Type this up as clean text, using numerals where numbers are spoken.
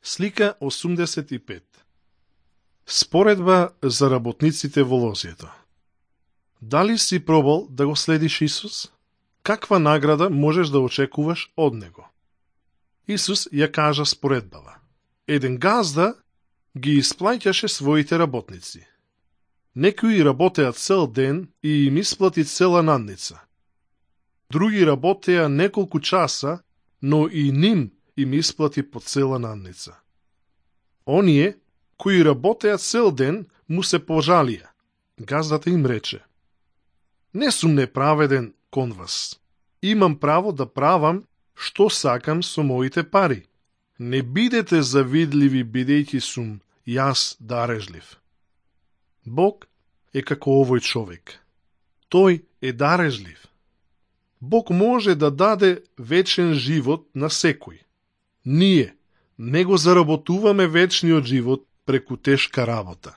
Слика 85. Споредба за работниците во лозјето. Дали си пробал да го следиш Исус? Каква награда можеш да очекуваш од него? Исус ја кажа споредбава. Еден газда ги исплаќаше своите работници. Некои работеа цел ден и им исплати цела надница. Други работеа неколку часа, но и ним им исплати по цела надница. Оние кои работеа цел ден му се пожалија. Газдата им рече: не сум неправеден кон вас. Имам право да правам што сакам со моите пари. Не бидете завидливи бидејќи сум јас дарежлив. Бог е како овој човек. Тој е дарежлив. Бог може да даде вечен живот на секој. Ние не го заработуваме вечниот живот преку тешка работа.